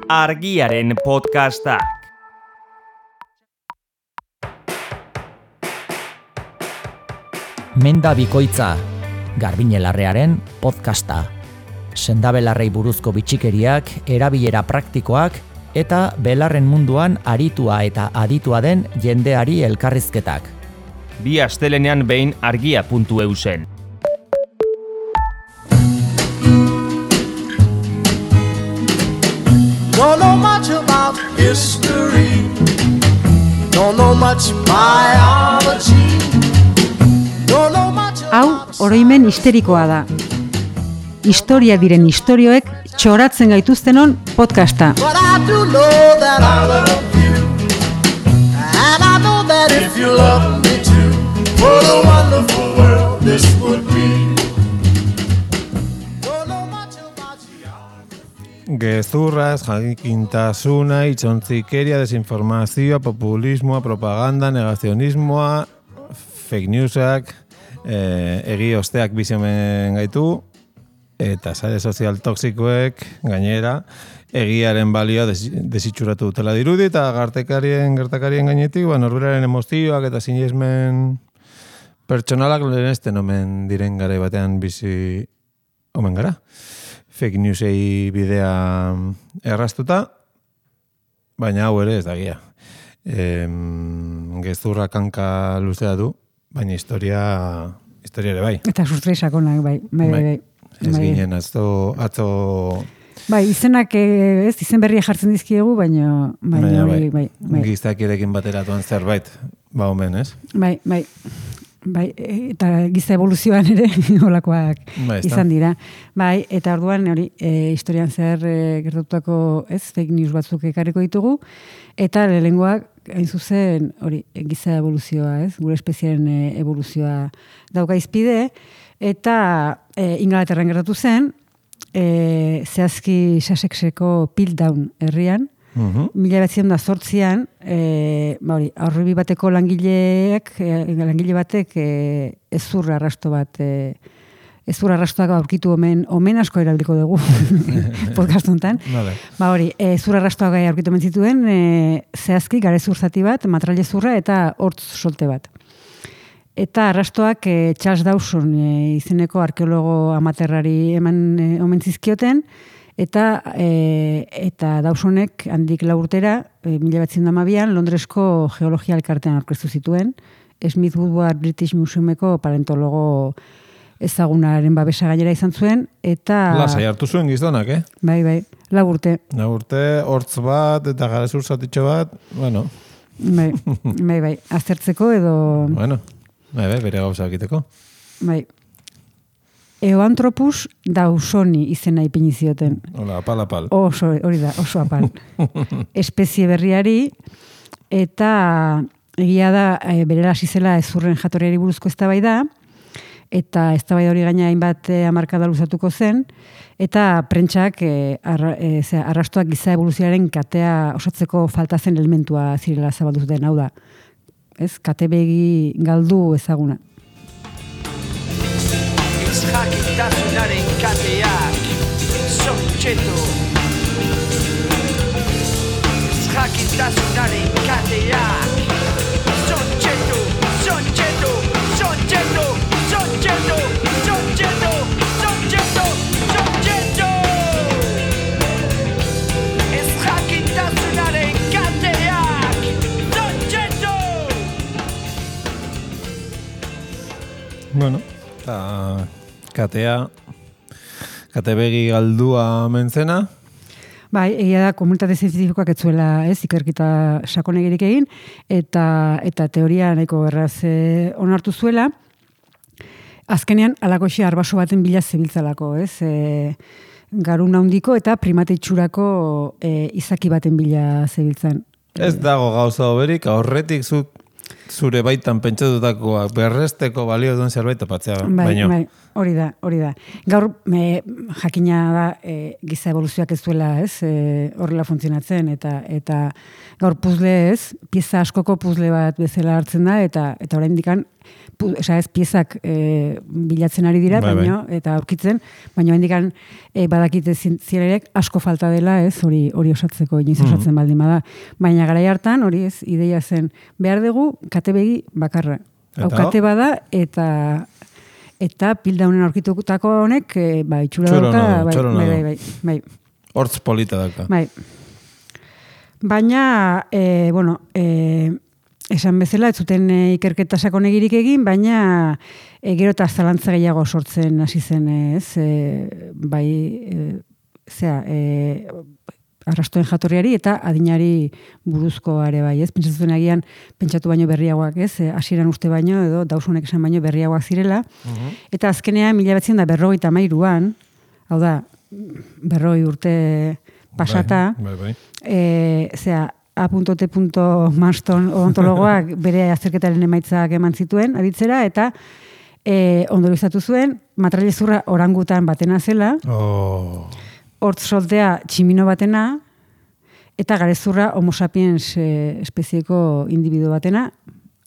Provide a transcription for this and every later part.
Argiaren podcastak. Menda bikoitza, Garbiñe Larrearen podcasta. Sendabelarrei buruzko bitxikeriak, erabilera praktikoak eta belarren munduan aritua eta aditua den jendeari elkarrizketak. Bi astelenean behin argia.eu zen. Don't know much about history. Don't know much biology. Don't know much Hau, oroimen histerikoa da. Historia diren istorioek txoratzen gaituztenon podcasta. But I do know that I love you. And I know that if you love me too, what a wonderful world this would be. Don't know much about you. Gezurraz, jakintasuna, itxontzikeria, desinformazioa, populismoa, propaganda, negazionismoa, fake newsak, egi osteak biziomen gaitu, eta sare sozial toxikoek, gainera, egiaren balioa desitxuratu dutela dirudi, eta gertakarien gainetik, norberaren emozioak eta sinesmen pertsonalak lehenesten omen diren garai batean bizi omen gara. Fake newsei bidea erraztuta, baina hau ere ez da gia. Gezurra kanka luzea du, baina historia ere bai. Eta sustrai sakonak, bai. Ez ginen, atzo... Bai, izenak izen berria jartzen dizkiegu, baina bai. Gizakirekin bateratuan zerbait, omen, ez? Bai, eta giza evoluzioan ere olakoak izan dira. Bai, eta orduan hori historian zer gertatutako fake news batzuk ekarriko ditugu, eta lehengoak hain zuzen hori giza evoluzioa, gure espeziaren evoluzioa dauka izpide, eta Ingalaterran gertatu zen, zehazki Sussexeko Piltdown herrian, 1908an, aurrebi bateko langile batek ezurra arrastoak aurkitu omen asko erabiliko dugu podcast honetan. Ezurra arrastoak aurkitu omen zituen, zehazki garezur zati bat, matrailezurra eta hortz solte bat. Eta arrastoak Charles Dawson izeneko arkeologo amaterrari omen zizkioten, eta Dawsonek handik 4 urtera, 1912an, Londresko geologia elkartean aurkeztu zituen, Smith Woodward British Museumeko paleontologo ezagunaren babesa gainera izan zuen, eta... Lasai hartu zuen gizonak, Bai, 4 urte. 4 urte, hortz bat, eta garezur zatitxo bat, bueno... Bai, aztertzeko edo... Bueno, bere gauza egiteko. Bai. Eoanthropus dawsoni izena ipini zioten. Hola, apal. Hori da, oso apal. Espezie berriari, eta egia da, berela hasi zela ezurren jatorriari buruzko eztabaida, eta eztabaida hori gaina hainbat hamarkada luzatuko zen, eta prentsak arrastoak giza evoluzioaren katea osatzeko falta zen elementua zirela zabaldu zuten, hau da. Kate begi galdu ezaguna. Jakitasunaren kateak Sontxeto Jakitasunaren kateak Sontxeto Sontxeto Sontxeto Sontxeto Sontxeto Sontxeto Sontxeto Ez jakitasunaren kateak Sontxeto. Bueno, kate begi galdua mentzena. Bai, egia da komunitate zientifikoak ez zuela ikerketa sakonegirik egin, eta teoria nahiko erraz onartu zuela. Azkenean, alakoxe arbaso baten bila zebiltzalako, garun handiko eta primate itxurako izaki baten bila zebiltzan. Ez dago gauza oberik, aurretik zuk zure baitan pentsatutakoa berresteko balio duen zerbait topatzea. baino. Bai, hori da. Gaur, jakina da, giza evoluzioak ez duela, ez, horrela funtzionatzen, eta gaur puzle ez, pieza askoko puzle bat bezala hartzen da, eta oraindikan, ez piezak bilatzen ari dira, Bai. eta aurkitzen, baina oraindikan badakite zilerek asko falta dela, ez, hori osatzeko, inoiz osatzen baldin bada. Baina garai hartan, hori ez, ideia zen, behar dugu katebegi bakarra. Hau kate bada, eta pildaunen aurkitutako honek, itxura dauka, bai. Hortz polita dauka. Bai. Baina, esan bezala, ez zuten ikerketa sakonegirik egin, baina gero eta zalantza gehiago sortzen hasi zen, ez, arrastoen jatorriari eta adinari buruzko are bai, ez? Pentsatzen agian, pentsatu baino berriagoak, ez? Hasieran uste baino, edo Dawsonek esan baino berriagoak zirela. Eta azkenean, 1953an, hau da, 40 urte pasata, Bai. A.T. Marston odontologoak bere azterketaren emaitzak eman zituen, aditzera, eta ondorioztatu zuen, matrailezurra orangutan batena zela, hortz soltea tximino batena, eta garezurra homo sapiens espezieko individu batena,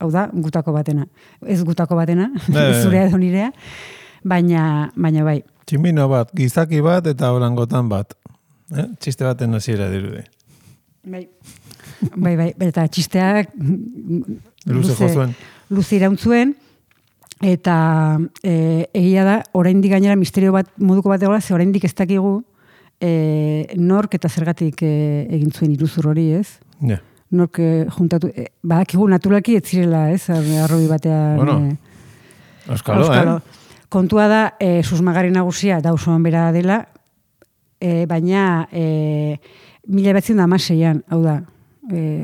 hau da, gutako batena. Ez gutako batena, zurea edo nirea, baina bai. Tximino bat, gizaki bat eta orangotan bat. Txiste baten hasiera dirudi. Bai, eta txisteak luze irauntzuen, eta egia da, oraindik gainera misterio bat moduko bat egola, ze oraindik ez dakigu nork eta zergatik egin zuen iruzur hori, ez? Ja. Nork juntatu, badakigu naturalki ez zirela, ez? Arrobi batean. Bueno, Auskalo. Kontua da, susmagarri nagusia Dawson bera dela, baina 1916an, hau da,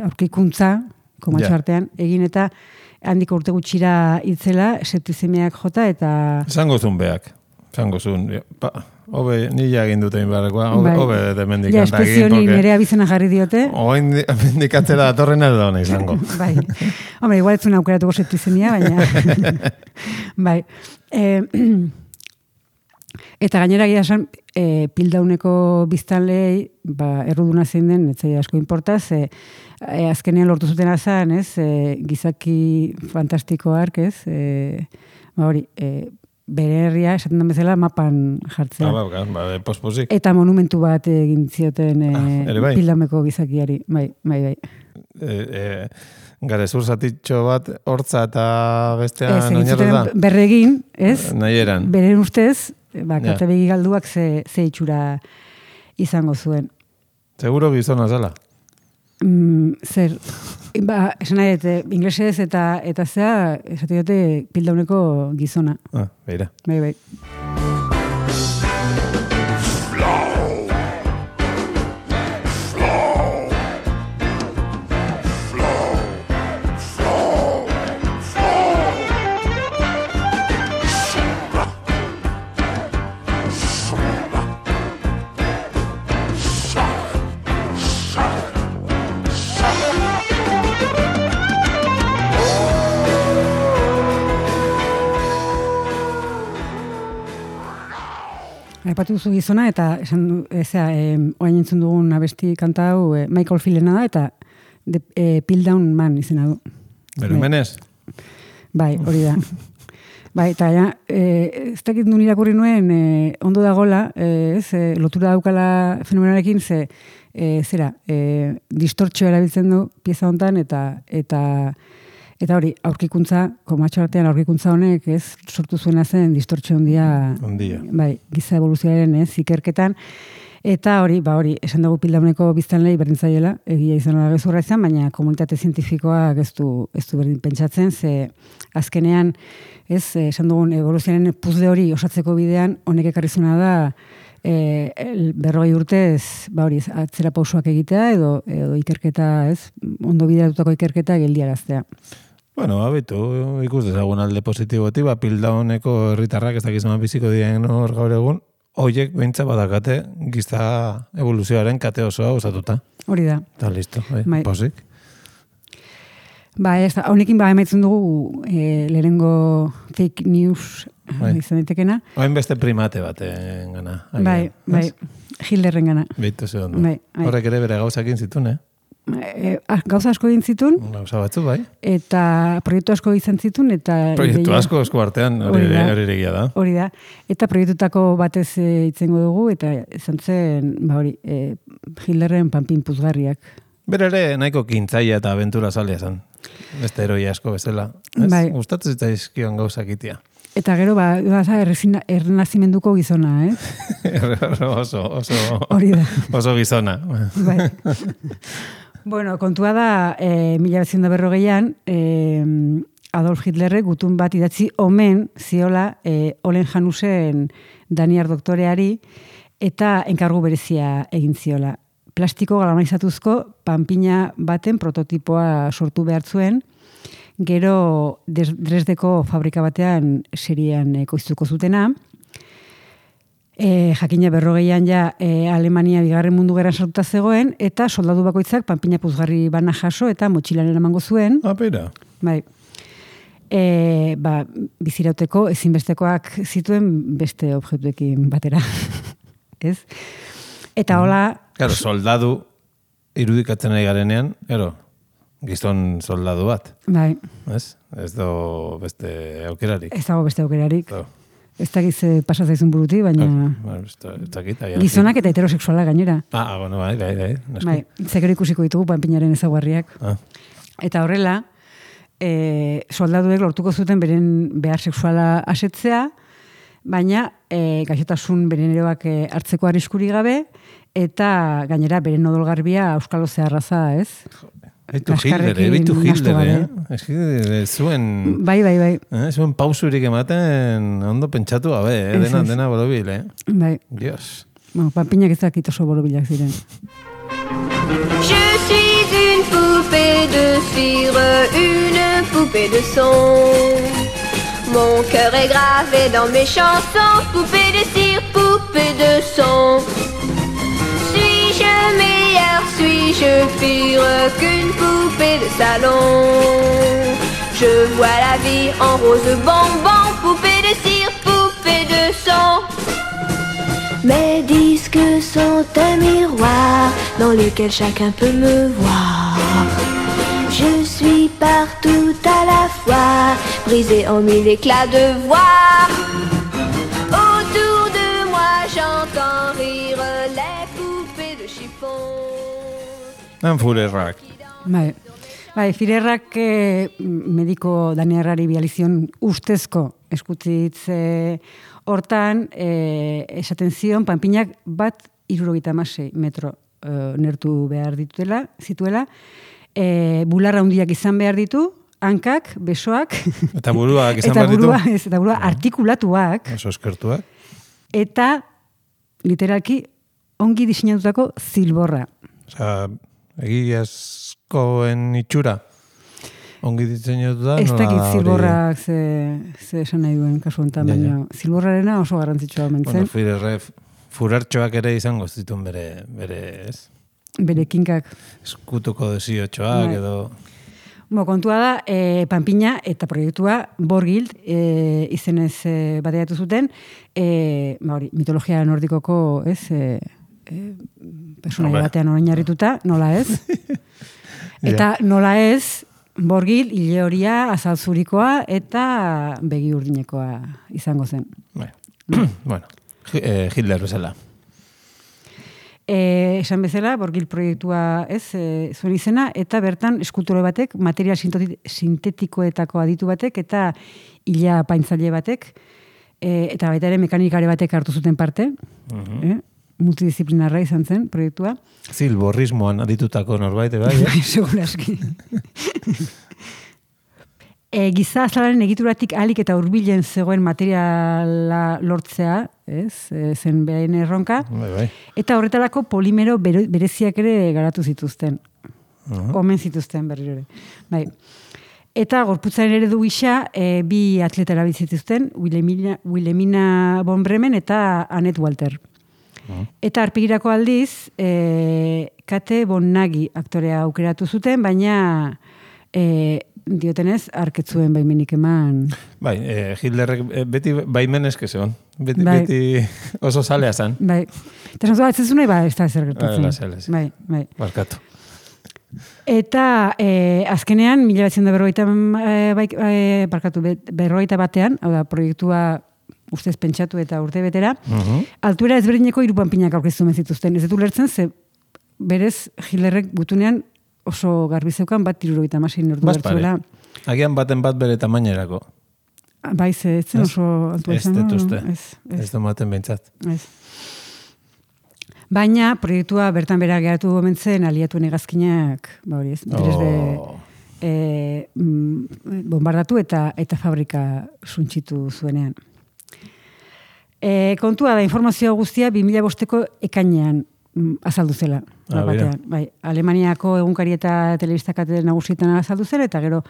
aurkikuntza, komatxo artean, egin eta handiko urte gutxira hitzela, septizemiak jota, eta... Zango zuen beak. Hobe, nila egin dute inbarrekoa, hobe demendik kanta egin. Ja, espezioni nire abizena jarri diote. Oain dikatzera datorrena edo nahi zango. Bai. Hombre, igual ez zuen aukeratuko septizemia, baina... Bai. Eta gainera gira esan, pildauneko biztanlei, erruduna zein den, etzai asko importaz, azkenean lortu zuten azan, ez, gizaki fantastiko ark, ez, hori, bere herria, esaten den bezala, mapan jartzea. Pospozik. Eta monumentu bat egin zioten pildauneko gizakiari, bai. Garezur zatitxo bat, hortza eta bestean oinarru da? Berregin, ez? Nahieran. Beren ustez, katebegi galduak ze itxura izango zuen. Seguro gizona zela? Zer, esan nahi, inglesez eta zea, esate dute pildauneko gizona. Beira. Bai. Aipatu duzu gizona, eta esan oain entzun dugun abesti kanta hau Michael Filena da, eta Pildown Man izena du. Berumenez? Bai, hori da. Bai, eta ez dakit nun irakurri nuen, ondo dagola, lotura daukala fenomenarekin, distortxoa erabiltzen du pieza hontan, eta hori, aurkikuntza, komatxo artean aurkikuntza honek, ez, sortu zuena zen distortxo ondia. Bai, giza evoluzioaren, ez, ikerketan. Eta hori, esan dugu pildauneko biztanlei berdintzaiela, egia izan da gezurra izan, baina komunitate zientifikoak ez du berdin pentsatzen, ze azkenean, ez, esan dugun evoluzioaren puzle hori osatzeko bidean, honek ekarrizuna da, 40 urtez, atzera pausoak egitea, edo ikerketa, ez, ondo bideratutako ikerketa geldiaraztea. Bueno, abitu, ikus dezagun alde positiboti, pildauneko herritarrak ez dakizan biziko diren hor gaur egun, hoiek beintza badakate giza evoluzioaren kate osoa osatuta. Hori da. Eta listo, Bai. Posik. Ba, ez da, honekin emaitzen dugu lehenengo fake news izan daitekena. Hain beste primate baten gana. Bai, Hitlerren gana. Beitu ze ondo. Bai. Horrek ere bere gauzakin zituen, Gauza asko egin zituen, Gauza batzu, bai. eta proiektu asko izan zituen, eta... Proiektu asko esku artean, hori egia da. Hori da. Eta proiektutako batez itzengo dugu, eta izan zen, Hitlerren panpin puzgarriak. Bere ere nahiko kintzaia eta aventura zalea zen. Beste heroi asko bezala. Bai. Gustatzen zitzaizkion gauzak itia. Eta gero, errenazimenduko gizona, oso hori da. Oso gizona. Bai. Bueno, kontua da, 1940an, Adolf Hitlerrek gutun bat idatzi omen ziola Olen Janusen Daniar doktoreari eta enkargu berezia egin ziola. Plastiko galvanizatuzko panpina baten prototipoa sortu behar zuen, gero Dresdeko fabrika batean serian ekoiztuko zutena. Jakina 40an ja Alemania bigarren mundu gerran sartuta zegoen, eta soldadu bakoitzak panpina puzgarri bana jaso eta motxilan eramango zuen. Apera. Bai. Bizirauteko ezinbestekoak zituen beste objektuekin batera. Ez? Eta hola... Claro, soldadu irudikatzen ari garenean, gizon soldadu bat. Bai. Ez do beste aukerarik. Ez dago beste aukerarik. Ez dakiz pasa zaizun buruti, baina... Gizonak eta heterosexuala gainera. Bueno, bai. Bai, zekero ikusiko ditugu panpinaren ezaguarriak. Eta horrela, soldaduek lortuko zuten beren behar sexuala asetzea, baina gaixotasun beren eroak hartzeko arriskuri gabe, eta gainera beren odolgarbia auskalo zeharraza, ez? Beitu Hitler, zuen... Bai. Zuen pausurik ematen ondo pentsatu gabe, dena borobil, Bai. Dios. Panpinak ez dakit oso borobilak ziren. Je suis une poupée de cire, une poupée de son. Mon cœur est gravé dans mes chansons, poupée de cire, poupée de son. Suis-je meilleure, suis-je pire qu'une poupée de salon? Je vois la vie en rose bonbon, poupée de cire, poupée de son. Mes disques sont un miroir dans lequel chacun peut me voir. Je suis partout à la fois, brisée en mille éclats de voix. Autour de moi j'entends rire les poupées de chiffon. Führerrak. Bai, Führerrak mediko Daniarrari bializion ustezko eskutitz hortan esaten zion panpinak bat 76 metro nertu behar zituela, bularra handiak izan behar ditu, hankak, besoak, eta buruak izan behar ditu, eta burua artikulatuak, oso eskertuak, eta literalki ongi diseinatutako zilborra. Osea, egiazkoen itxura ongi diseinatuta, ez dakit zilborrak ze esan nahi duen kasu honetan, baina zilborrarena oso garrantzitsua omentzen. Bueno, furartxoak ere izango zituen bere ez? Bere kinkak. Eskutuko desiotxoak edo... Kontua da, panpina eta proiektua Borgild izenez bateatu zuten, mitologia nordikoko, personaia batean oinarrituta, nola ez? Eta nola ez, Borgild, hile horia, azalzurikoa eta begi urdinekoa izango zen. Bueno, Hitler bezala. Esan bezala, Borgild proiektua zuen izena, eta bertan eskultore batek, material sintetikoetako aditu batek, eta hila paintzaile batek, eta baita ere mekanikare batek hartu zuten parte, multidisciplinarra izan zen proiektua. Zilborrismoan aditutako norbait, bai? Seguraski. Giza azalaren egituratik ahalik eta hurbilen zegoen materiala lortzea, zen behain erronka, eta horretarako polimero bereziak ere garatu zituzten. Omen zituzten berriro ere. Bai. Eta gorputzaren eredu gisa, bi atleta erabiltzituzten, Wilhelmina von Bremen eta Annette Walter. Eta arpegirako aldiz, Kate von Nagy aktorea aukeratu zuten, baina diotenez, arketzuen baimenik eman. Bai, Hitlerrek beti baimenezke zeon. Beti, Bai. beti oso zalea zan. Bai. Eta esan ez zuen, ez da zer gertatzen. Bai. Barkatu. Eta azkenean, 1941 batean, hau da, proiektua ustez pentsatu eta urte betera, altuera ezberdineko 3 panpinak aurkeztu zituzten. Ez dut ulertzen, ze berez Hitlerrek gutunean oso garbi zeukan bat 76 ordu bertzuela. Agian baten bat bere tamainerako. Bai, ez zen oso altua Ez izan. dut uste. Ez. Ez du maten behintzat. Ez. Baina proiektua bertan bera geratu gomentzen aliatuen hegazkinak, hori ez, bombardatu eta fabrika suntxitu zuenean. Kontua da, informazio guztia 2005ko ekainean azaldu zela. Batean. Bai, Alemaniako egunkari eta telebistakate nagusietan azaldu zela, eta gero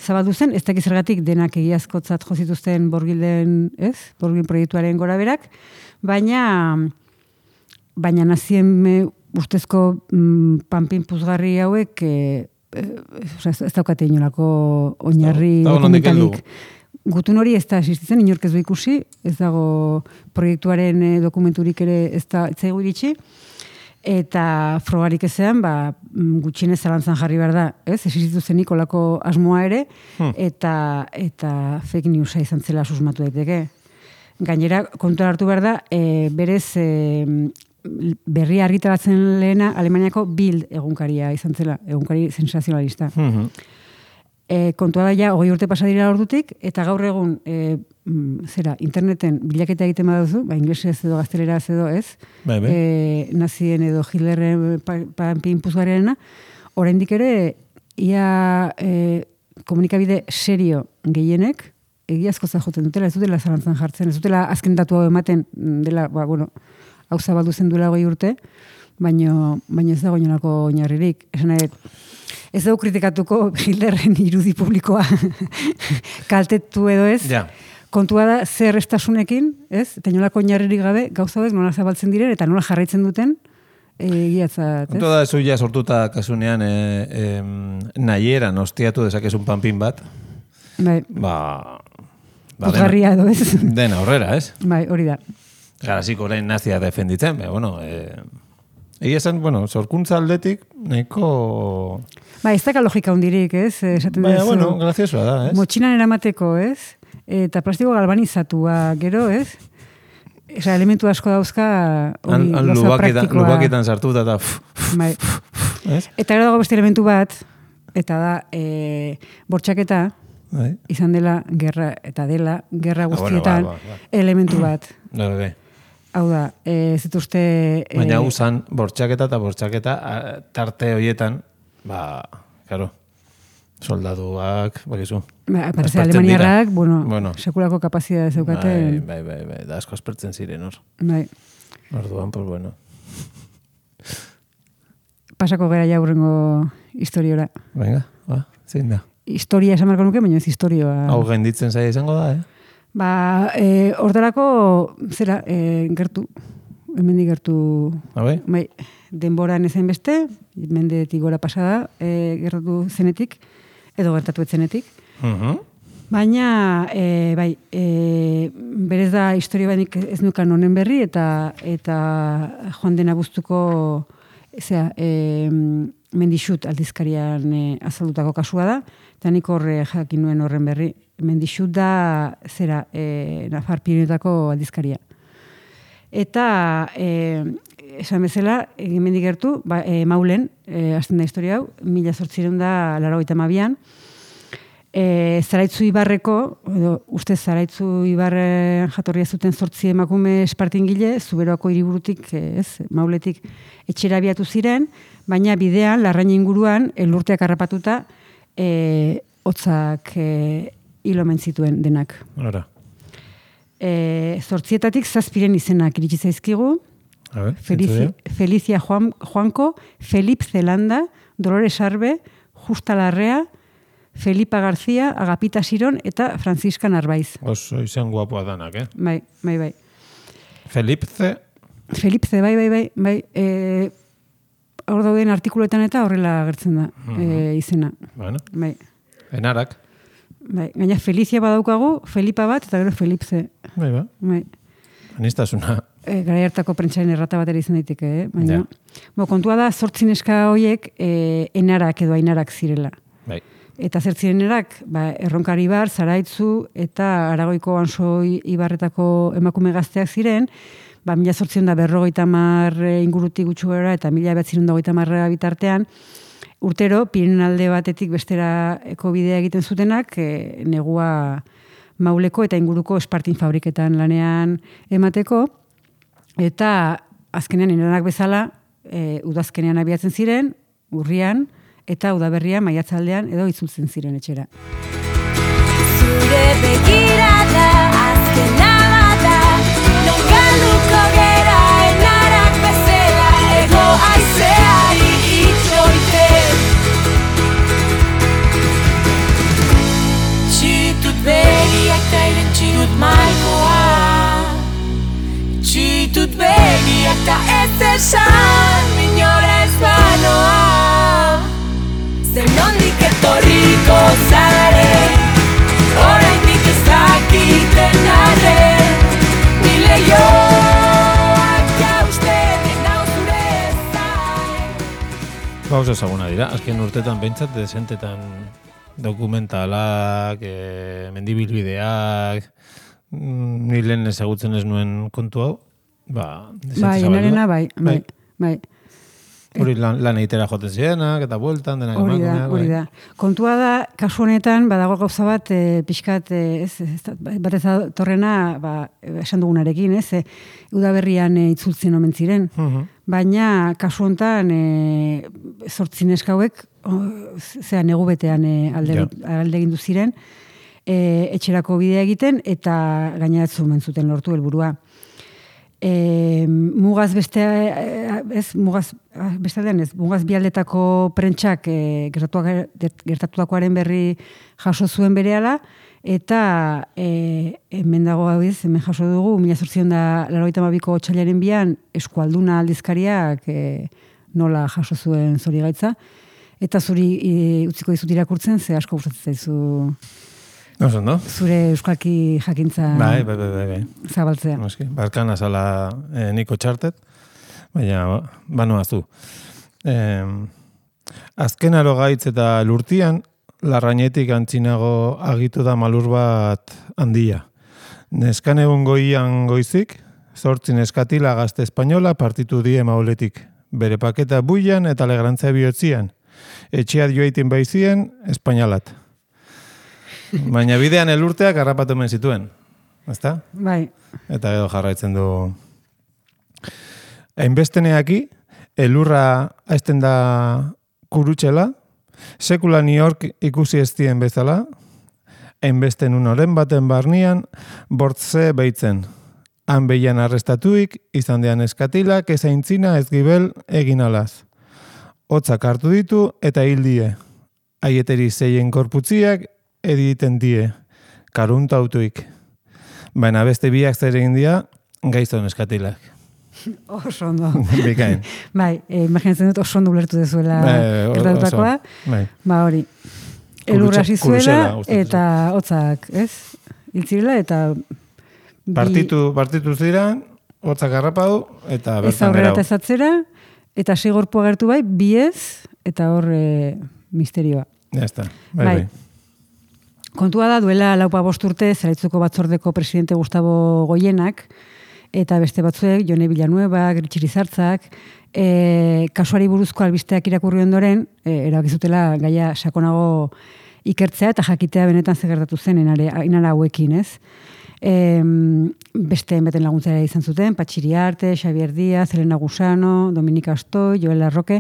zabaldu zen, ez dakiz zergatik denak egiazkotzat jozituzten Borgilden proiektuaren gora berak, baina nazien ustezko panpin puzgarri hauek ez daukate inolako oinarri dokumentalik. Gutun hori ez da existitzen, inork ez du ikusi, ez dago proiektuaren dokumenturik ere ez da etzaigu iritsi, eta frogarik ezean, gutxienez zalantzan jarri behar da, ez? Existitu zenik olako asmoa ere, eta fake newsa izan zela susmatu daiteke. Gainera, kontuan hartu behar da, berez berria argitaratzen lehena Alemaniako Bild egunkaria izan zela, egunkari sensazionalista. Kontua da ja, 20 urte pasa dira ordutik, eta gaur egun, interneten bilaketa egiten baduzu, inglesez edo gazteleraz edo ez, nazien edo Hitlerren panpin puzgarriarena, oraindik ere, ia komunikabide serio gehienek, egiazko joten dutela, ez dutela zalantzan jartzen, ez dutela azken datu hau ematen, dela, hau zabaldu zen duela 20 urte, baina ez dago inolako oinarririk. Esan nahi, ez dugu kritikatuko Hitlerren irudi publikoa kaltetu edo ez. Ja. Kontua da zer estasunekin, ez? Eta inolako oinarririk gabe, gauza hauek nola zabaltzen diren eta nola jarraitzen duten egiatzat, ez? Kontua da zu ja sortuta kasunean nahieran ostiatu dezakezun panpin bat. Bai. Puzgarria edo ez? Dena horrera, ez? Bai, hori da. Garaziko orain nazia defenditzen, egia esan, sorkuntza aldetik, nahiko... Ez daka logika hundirik, ez? Graziosua da, ez? Motxinan eramateko, ez? Eta plastiko galvanizatua, gero, ez? Elementu asko dauzka hori gauza praktikoa. Lubakietan sartuta eta... Eta gero dago beste elementu bat, eta da, bortxaketa, izan dela, gerra guztietan, elementu bat. Hau da, ez dituzte... Baina usan, bortxaketa tarte horietan, karo, soldaduak, bakizu. Parece alemaniarrak, sekulako kapazitatea zeukaten. Bai, da asko aspertzen ziren hor. Bai. Orduan, pues bueno. Pasako gara ja hurrengo historiora. Venga, zein da. Historia esan marko nuke, baina ez historioa. Hau gainditzen zaila izango da, Hortarako, gertu, hemendik gertu, denboran ezen beste, mendetik gora pasada, gertatu zenetik, edo gertatu etzenetik. Baina, berez da historia banik ez nukan honen berri, eta joan den abuztuko, Mendixut aldizkarian azaldutako kasua da, eta nik horre jakin nuen horren berri. Mendixut da, Nafar Pirinetako aldizkaria. Eta, esan bezala, hemendik gertu, Maulen, hasten da historia hau, 1882an, Zaraitzu Ibarreko, uste Zaraitzu Ibarren jatorria zuten 8 emakume espartingile, Zuberoako hiriburutik, Mauletik etxera abiatu ziren, baina bidean, Larrain inguruan, elurteak harrapatuta, hotzak hil omen zituen denak. Hora. 8 7 izenak iritsi zaizkigu. Felicia Juanco, Felip Zelanda, Dolores Arbe, Justa Larrea, Felipa García, Agapita Siron eta Francisca Narbaiz. Oso izan guapoa danak, Bai. hor dauden artikuletan eta horrela agertzen da izena. Bueno, Bai. enarak. Bai, gaina Felizia badaukagu, Felipa bat, eta gero Felipze. Bai, ba. Bai. Anistasuna. Garai hartako prentsaren errata batera izan daiteke, baina. Kontua da, 8 neska horiek enarak edo ainarak zirela. Bai. Eta zer zirenerak, Erronkari Ibar, Zaraitzu eta Aragoiko Ansoi Ibarretako emakume gazteak ziren, 1850 ingurutik gutxi gora eta 1930 bitartean, urtero, Pirenen alde batetik besterako bidea egiten zutenak, negua Mauleko eta inguruko espartin fabriketan lanean emateko, eta azkenean enarak bezala, udazkenean abiatzen ziren, urrian, eta udaberria maiatzaldean edo itzultzen ziren etxera. Zure begirada azkena bada, non galduko gera enarak bezala, ego aizeari itxoiten. Txitut begiak ta irentsi dut malkoa, txitut begiak ta ez esan, minora ez banoa. Zer nondik etorriko zare, oraindik ez dakiten arren, ni leioak jausten nau zure zain. Gauza ezaguna dira, azken urtetan behintzat desentetan dokumentalak, mendibilbideak, ni lehen ezagutzen ez nuen kontu hau, Bai, enarena, bai. Hori lan egitera joten zirenak, eta bueltan, denak emakumeak. Hori da. Kontua da, kasu honetan, badago gauza bat, pixkat, bat ez torrena, esan dugunarekin, udaberrian itzultzen omen ziren. Baina, kasu honetan, 8 neska hauek, negu betean alde egin du ziren, etxerako bidea egiten, eta gaineratzen omen zuten lortu helburua. Mugaz bialdetako prentsak gertatutakoaren berri jaso zuen berehala, eta hemen dago hemen jaso dugu, 1882ko otsailaren 2 Eskualduna aldizkariak nola jaso zuen Zorigaitza, eta zuri utziko dizut irakurtzen, ze asko gustatzen zaizu zure euskalki jakintza zabaltzea. Barkan azala niko txartet, baina banoazu. Azken aro gaitz eta lurtian, larrainetik antzinago agitu da malur bat handia. Neskan egun goian goizik, 8 neskatila gazte espainola partitu die mauletik. Bere paketa buian eta legrantza bihotzian. Etxeat joaitin baizien, espainalat. Baina bidean elurteak harrapatu men zituen. Ezta? Bai. Eta edo jarraitzen du. Hainbesteneaki, elurra aizten da kurutxela, sekula New York ikusi ez dien bezala, hainbesten unoren baten barnian, bortze beitzen. Han behian arrestatuik, izan dean eskatilak, ezaintzina ez gibel egin alaz. Hotzak hartu ditu eta hil die. Aieteri zeien korputziak editen die, karunta autuik. Baina beste biak zer egin dia, gaizton eskatilak. Oso ondo. Bikain. Bai, imaginatzen dut oso ondo ulertu dezuela gertatutakoa. Hori. Elurra hasi zuela eta hotzak, ez? Hiltzirela eta partitu ziren, hotzak harrapatu eta bertan ez aurrera eta ezatzera, eta segorpu agertu bai, biez, eta hor misterioa. Ja está. Bai. Kontua da, duela 4-5 urte, Zaraitzuko batzordeko presidente Gustavo Goienak, eta beste batzuek, Jone Villanueva, Gritxirizartzak, kasuari buruzko albisteak irakurri ondoren, erabakizutela gaia sakonago ikertzea, eta jakitea benetan zegertatu zen inara hauekin, ez? Beste enbeten laguntzera izan zuten, Patxiri Arte, Xavier Díaz, Elena Gusano, Dominika Astoi, Joel Larroque,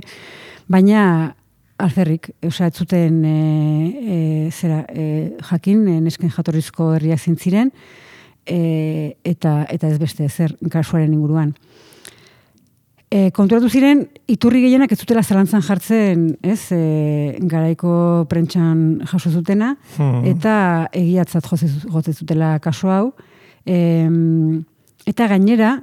baina alferrik, ez zuten jakin, nesken jatorrizko herriak zintziren, eta ez beste zer kasuaren inguruan. Konturatu ziren, iturri gehienak ez zutela zalantzan jartzen, ez, garaiko prentsan jaso zutena, eta egiatzat jotzen zutela kasu hau, Eta gainera,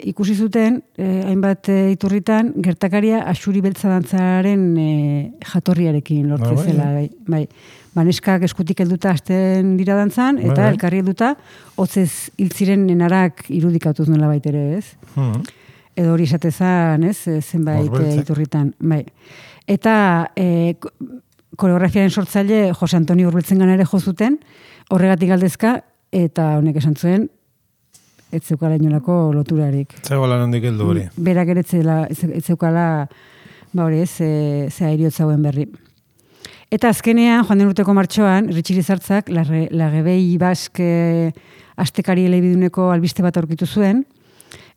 ikusi zuten, hainbat iturritan, gertakaria Axuri beltza dantzaren jatorriarekin lortzen zela. Bai. Neskak eskutik helduta hasten dira dantzan, eta elkarri helduta, hotzez hiltziren nenarak irudikatuz nola baitere, ez? Edo hori esatezan, ez? Zenbait iturritan. Bai. Eta koreografiaren sortzaile Jose Antonio Urbeltzengana ere jo zuten, horregatik galdezka, eta honek esan zuen, ez zeukala inolako loturarik. Zegoela nondik heldu hori. Berak ere ez zeukala, hori ez, zea iriotzauen berri. Eta azkenean, joan den urteko martxoan, Ritxiri Zartzak, Lagebei Bask astekari elebiduneko albiste bat aurkitu zuen,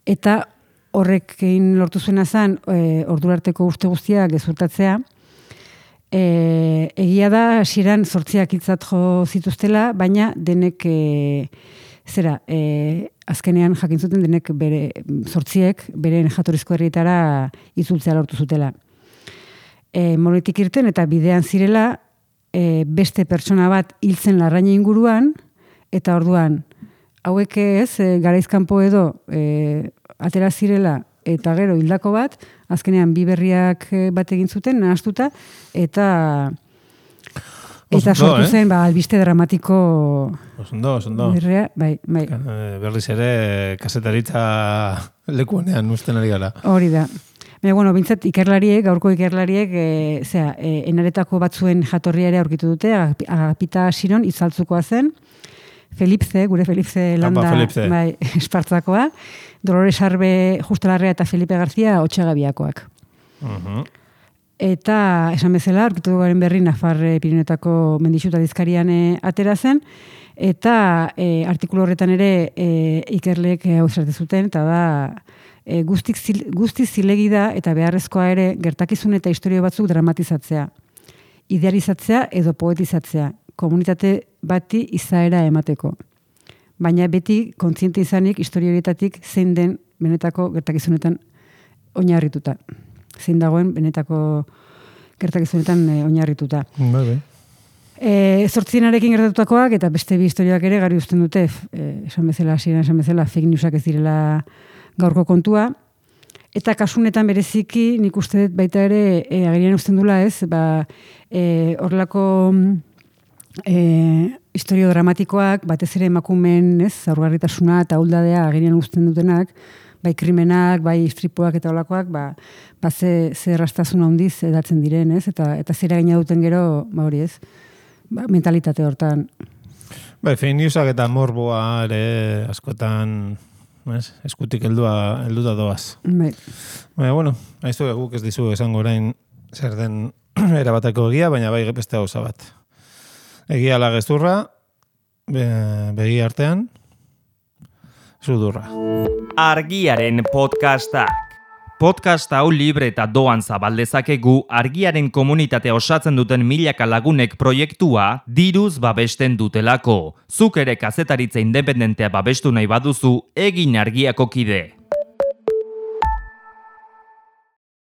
eta horrekin lortu zuena zen, ordurarteko uste guztiak gezurtatzea. Egia da, hasieran 8 hitzat jo zituztela, baina denek azkenean jakin zuten denek 8 beren jatorrizko herrietara itzultzea lortu zutela. Monetik irten eta bidean zirela beste pertsona bat hiltzen Larraina inguruan, eta orduan, hauek ez, garaizkanpo edo atera zirela eta gero hildako bat, azkenean bi berriak bat egin zuten, nahastuta, eta sortu zen, albiste dramatiko Osondo. Berria, bai. Berriz ere, kasetaritza lekuanean usten ari gara. Hori da. Baina, bintzat, gaurko ikerlariek, enaretako batzuen jatorria ere aurkitu dute, Agapita Siron itzaltzukoa zen, gure Felipze landa, bai, espartzakoa, Dolores Arbe Justalarrea eta Felipe Garzia Otxagabiakoak. Eta, esan bezala, aurkitu garen berri Nafar Pirinetako mendixuta dizkarian atera zen, eta artikulu horretan ere ikerleek hau esarte zuten, eta da, guztiz zilegi da eta beharrezkoa ere gertakizun eta historio batzuk dramatizatzea, idealizatzea edo poetizatzea, komunitate bati izaera emateko. Baina beti kontziente izanik historio horietatik zein den benetako gertakizunetan oinarrituta. Zein dagoen benetako gertakizunetan oinarrituta. Zortzienarekin gertatutakoak eta beste bi historioak ere garbi uzten dute, esan bezala fake newsak ez direla gaurko kontua, eta kasunetan bereziki nik uste dut baita ere agerian uzten dula ez, horrelako historio dramatikoak, batez ere emakumeen zaurgarritasuna eta ahuldadea agerian uzten dutenak, bai krimenak, bai istripuak eta holakoak, ze erraztasun handiz edatzen diren, ez, eta zera gaina duten gero, hori ez, mentalitate hortan. Bai, fake newsak eta morboa ere askotan eskutik helduta doaz. Baina, haizu guk ez dizu esango orain zer den erabateko egia, baina bai beste gauza bat. Egia la gezurra, begi artean, sudurra. Argiaren podcastak. Podcast hau libre eta doan zabaldezakegu Argiaren komunitatea osatzen duten milaka lagunek proiektua diruz babesten dutelako. Zuk ere kazetaritza independentea babestu nahi baduzu, egin Argiako kide.